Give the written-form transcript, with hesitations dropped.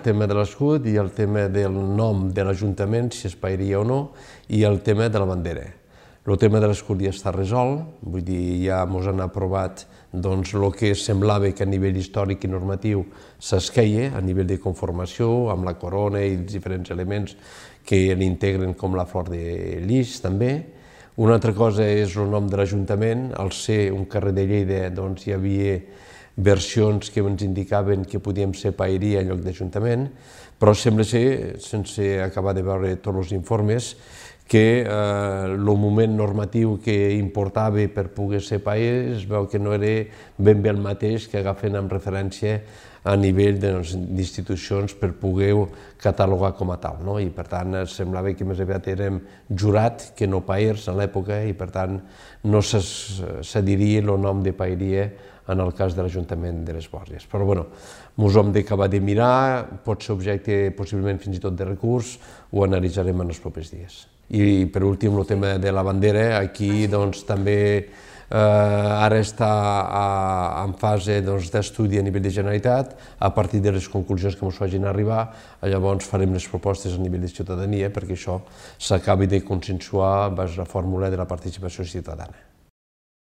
El tema de l'escut i el tema del nom de l'Ajuntament, si es paeria o no, i el tema de la bandera. El tema de l'escut ja està resolt, vull dir, ja ens han aprovat el que semblava que a nivell històric i normatiu s'esqueia, a nivell de conformació, amb la corona i els diferents elements que l'integren, com la flor de lis també. Una altra cosa és el nom de l'Ajuntament. Al ser un carrer de Lleida hi havia versions que ens indicaven que podíem ser paeria en lloc d'Ajuntament, però sembla ser, sense acabar de veure tots els informes, que el moment normatiu que importava per poder ser paer es veu que no era ben bé el mateix que agafen amb referència a nivell d'institucions per poder catalogar com a tal. I per tant semblava que més aviat érem jurat que no paers a l'època i per tant no s'adiria el nom de paeria en el cas de l'Ajuntament de les Borges. Però bé, ens ho hem d'acabar de mirar, pot ser objecte possiblement fins i tot de recurs, ho analitzarem en els propers dies. I per últim el tema de la bandera, aquí també ara està en fase d'estudi a nivell de Generalitat, a partir de les conclusions que ens facin arribar, llavors farem les propostes a nivell de ciutadania perquè això s'acabi de consensuar vers la fórmula de la participació ciutadana.